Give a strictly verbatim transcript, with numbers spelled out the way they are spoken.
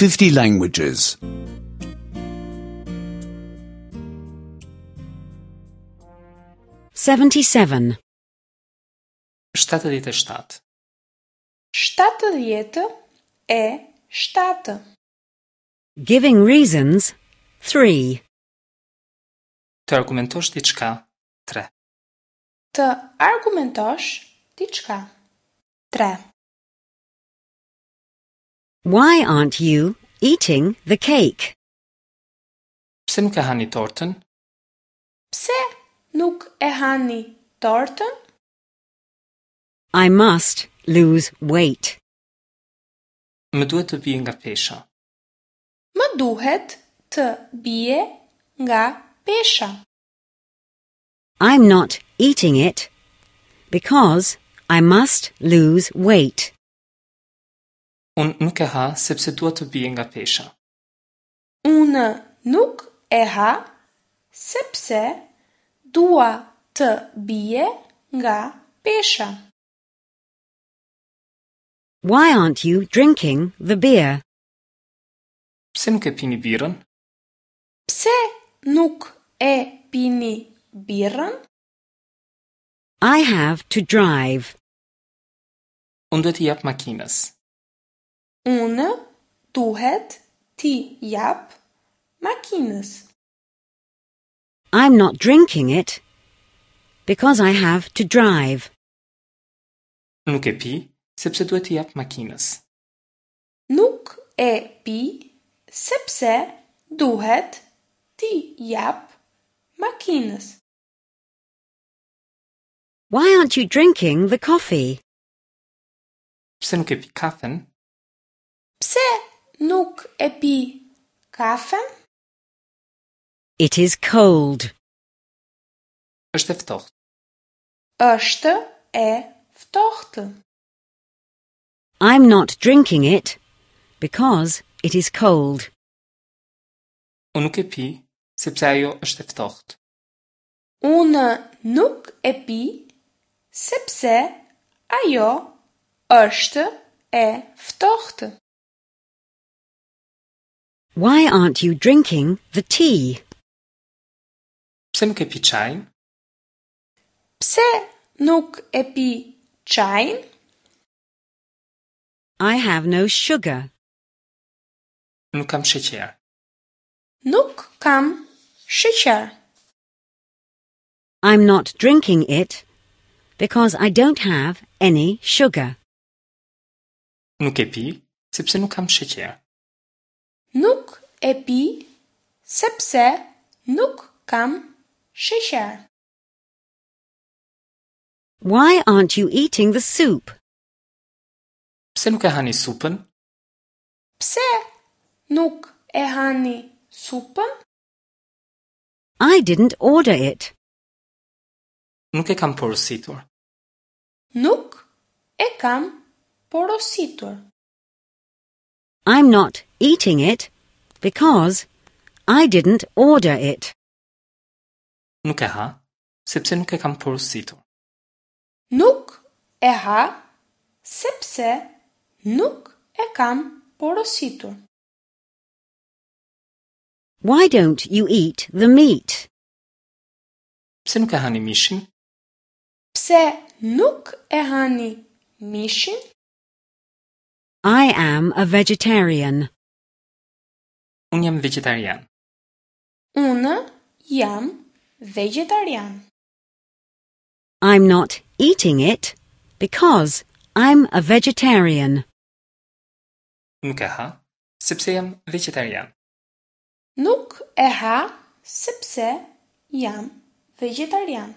fifty languages. seventy-seven. shtatëdhjetë e shtatë. Shtatëdhjetë e shtatë. Giving reasons, three. Të argumentosh diçka, tre. Të argumentosh diçka. Tre. Why aren't you eating the cake? Pse nuk e hani tortën? Pse nuk e hani tortën? I must lose weight. Më duhet të bie nga pesha. Më duhet të bie nga pesha. I'm not eating it because I must lose weight. Unë nuk e ha sepse dua të bie nga pesha. Unë nuk e ha sepse dua të bie nga pesha. Why aren't you drinking the beer? Pse nuk e pini birrën? Pse nuk e pini birrën? I have to drive. Unë duhet t'i jap makinës. Unë duhet t'i jap makinës. I'm not drinking it because I have to drive. Nuk e pi sepse duhet t'i jap makinës. Nuk e pi sepse duhet t'i jap makinës. Why aren't you drinking the coffee? Pse nuk e pi kafen? Pse nuk e pi kafen? It is cold. Është e ftohtë. Është e ftohtë. I'm not drinking it because it is cold. Unë nuk e pi sepse ajo është e ftohtë. Unë nuk e pi sepse ajo është e ftohtë. Why aren't you drinking the tea? Pse nuk e pi çajin? Pse nuk e pi çajin? I have no sugar. Nuk kam sheqer. Nuk kam sheqer. I'm not drinking it because I don't have any sugar. Nuk e pi sepse nuk kam sheqer. Nuk e pi sepse nuk kam sheqer. Why aren't you eating the soup? Pse nuk e hani supën? Pse nuk e hani supën? I didn't order it. Nuk e kam porositur. Nuk e kam porositur. I'm not eating it because I didn't order it. Nuk e ha sepse nuk e kam porositur. Nuk e ha sepse nuk e kam porositur. Why don't you eat the meat? Pse nuk e hani mishin? Pse nuk e hani mishin? I am a vegetarian. Unë jam vegetarian. Unë jam vegetarian. I'm not eating it because I'm a vegetarian. Nuk e ha sepse jam vegetarian. Nuk e ha sepse jam vegetarian.